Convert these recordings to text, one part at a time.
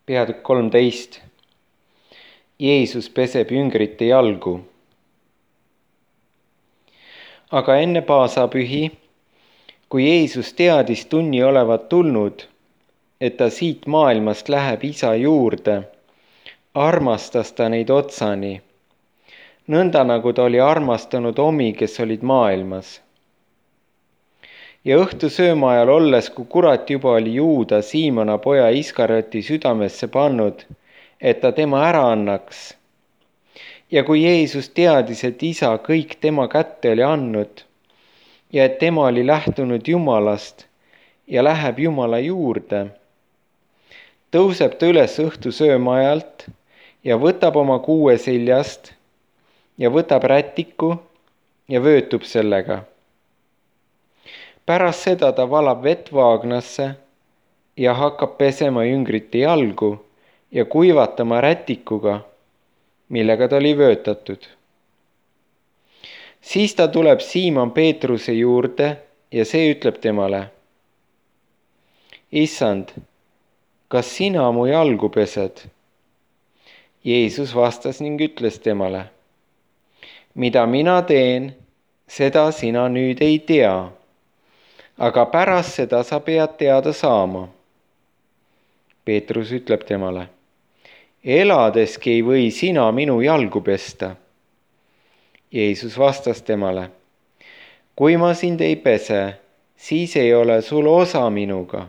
Peatükk 13. Jeesus peseb jüngrite jalgu. Aga enne paasapühi, kui Jeesus teadis tunni olevat tulnud, et ta siit maailmast läheb Isa juurde, armastas ta neid otsani, nõnda nagu ta oli armastanud omi, kes olid maailmas. Ja õhtusööma ajal olles, kui kurat juba oli Juuda, Siimona poja Iskarioti südamesse pannud, et ta tema ära annaks. Ja kui Jeesus teadis, et Isa kõik tema kätte oli andnud ja et tema oli lähtunud Jumalast ja läheb Jumala juurde, tõuseb ta üles õhtusööma ajalt ja võtab oma kuue seljast ja võtab rätiku ja vöötub sellega. Pärast seda ta valab vett vaagnasse ja hakkab pesema jüngrite jalgu ja kuivatama rätikuga, millega ta oli vöötatud. Siis ta tuleb Siimon Peetruse juurde ja see ütleb temale: Issand, kas sina mu jalgu pesed? Jeesus vastas ning ütles temale: mida mina teen, seda sina nüüd ei tea, aga pärast seda sa pead teada saama. Peetrus ütleb temale: eladeski ei või sina minu jalgu pesta. Jeesus vastas temale: kui ma sind ei pese, siis ei ole sul osa minuga.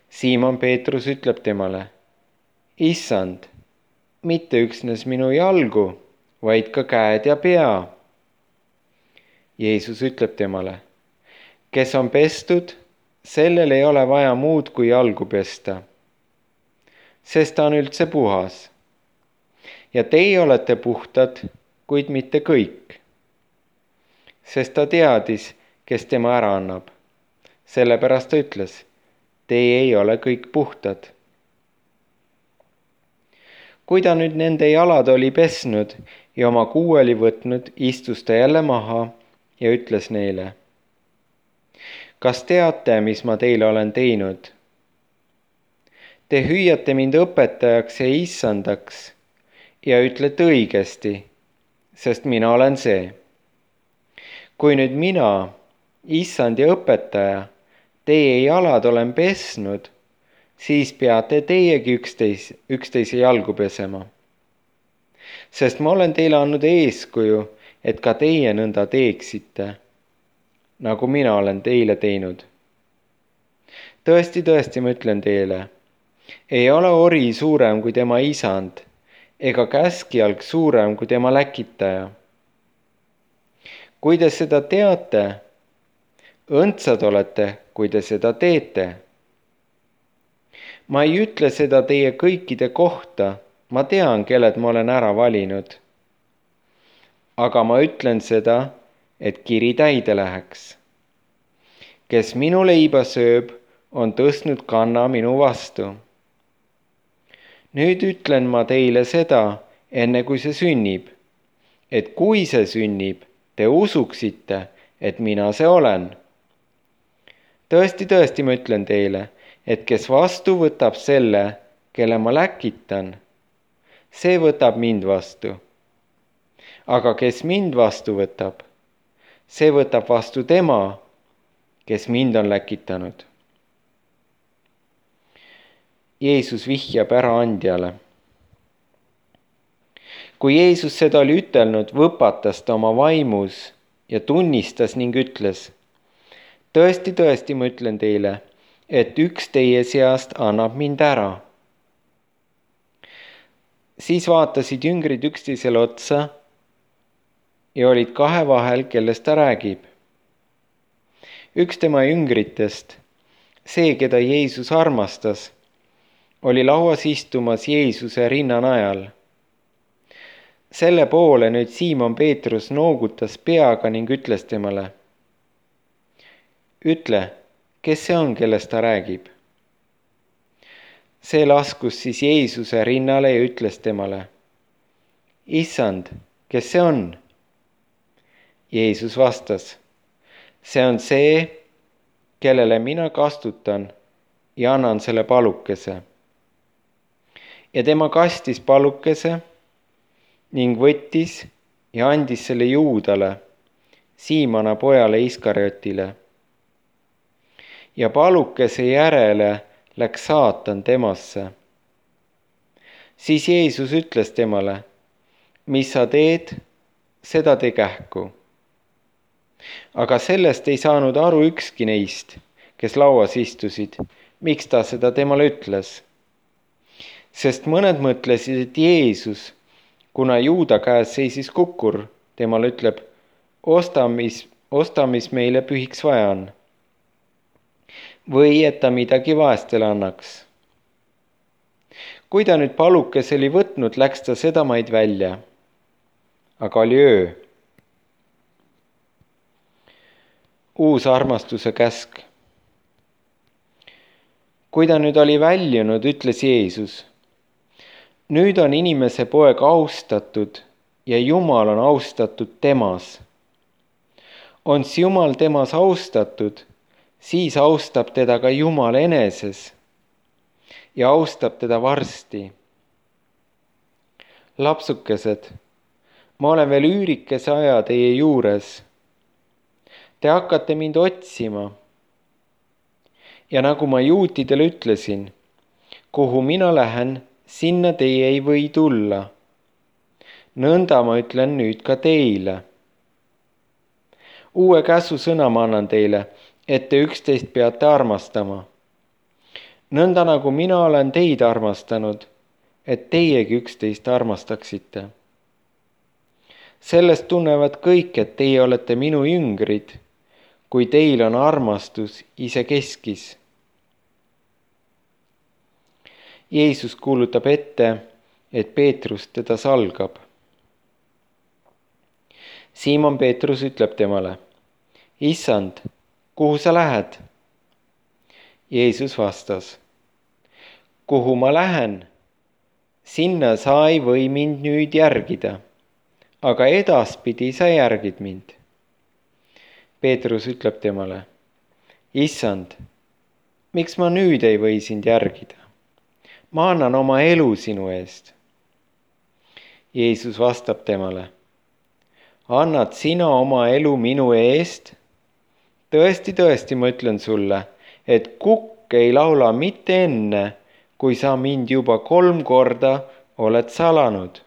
Siimon Peetrus ütleb temale: Issand, mitte üksnes minu jalgu, vaid ka käed ja pea. Jeesus ütleb temale: kes on pestud, sellel ei ole vaja muud kui jalgu pesta, sest ta on üldse puhas. Ja teie olete puhtad, kuid mitte kõik. Sest ta teadis, kes tema ära annab. Sellepärast ta ütles: teie ei ole kõik puhtad. Kui ta nüüd nende jalad oli pesnud ja oma kuu oli võtnud, istus ta jälle maha ja ütles neile: kas teate, mis ma teile olen teinud? Te hüüate mind õpetajaks ja issandaks ja ütlete õigesti, sest mina olen see. Kui nüüd mina, issand ja õpetaja, teie jalad olen pesnud, siis peate teiegi üksteise jalgu pesema. Sest ma olen teile andnud eeskuju, et ka teie nõnda teeksite, nagu mina olen teile teinud. Tõesti, tõesti, ma ütlen teile, ei ole ori suurem kui tema isand, ega käskjalg suurem kui tema läkitaja. Kui te seda teate, õndsad olete, kui te seda teete. Ma ei ütle seda teie kõikide kohta, ma tean, kelled ma olen ära valinud. Aga ma ütlen seda, et kiri täide läheks. Kes minu leiba sööb, on tõstnud kanna minu vastu. Nüüd ütlen ma teile seda, enne kui see sünnib, et kui see sünnib, te usuksite, et mina see olen. Tõesti, tõesti, ma ütlen teile, et kes vastu võtab selle, kelle ma läkitan, see võtab mind vastu. Aga kes mind vastu võtab, see võtab vastu tema, kes mind on läkitanud. Jeesus vihjab äraandjale. Kui Jeesus seda oli ütelnud, võpatas ta oma vaimus ja tunnistas ning ütles: tõesti, tõesti, ma ütlen teile, et üks teie seast annab mind ära. Siis vaatasid jüngrid üksteisele otsa ja olid kahe vahel, kellest ta räägib. Üks tema jüngritest, see, keda Jeesus armastas, oli lauas istumas Jeesuse rinnanajal. Selle poole nüüd Siimon Peetrus noogutas peaga ning ütles temale: ütle, kes see on, kellest ta räägib? See laskus siis Jeesuse rinnale ja ütles temale: Issand, kes see on? Jeesus vastas: see on see, kellele mina kastutan ja annan selle palukese. ja tema kastis palukese ning võttis ja andis selle Juudale, Siimona pojale Iskariotile. Ja palukese järele läks saatan temasse. Siis Jeesus ütles temale, mis sa teed, seda tee kähku. Aga sellest ei saanud aru ükski neist, kes lauas istusid, miks ta seda temale ütles. Sest mõned mõtlesid, et Jeesus, kuna Juuda käes seisis kukkur, temale ütleb, osta, mis meile pühiks vaja on. Või et ta midagi vaestele annaks. Kui ta nüüd palukese oli võtnud, läks ta sedamaid välja. Aga oli öö. Uus armastuse käsk. Kui ta nüüd oli väljunud, ütles Jeesus, nüüd on inimese poeg austatud ja Jumal on austatud temas. Ons Jumal temas austatud, siis austab teda ka Jumal eneses ja austab teda varsti. Lapsukesed, ma olen veel üürikese aja teie juures. Te hakkate mind otsima. Ja nagu ma juutidele ütlesin, kuhu mina lähen, sinna teie ei või tulla. Nõnda ma ütlen nüüd ka teile. Uue käsusõna ma annan teile, et te üksteist peate armastama. Nõnda nagu mina olen teid armastanud, et teiegi üksteist armastaksite. Sellest tunnevad kõik, et teie olete minu jüngrid, kui teil on armastus isekeskis. Jeesus kuulutab ette, et Peetrus teda salgab. Siimon Peetrus ütleb temale, Issand, kuhu sa lähed? Jeesus vastas, kuhu ma lähen? Sinna sa ei või mind nüüd järgida, aga edaspidi sa järgid mind. Peetrus ütleb temale, Issand, miks ma nüüd ei või sind järgida? Ma annan oma elu sinu eest. Jeesus vastab temale, annad sina oma elu minu eest? Tõesti, tõesti, ma ütlen sulle, et kukk ei laula mitte enne, kui sa mind juba 3 korda oled salanud.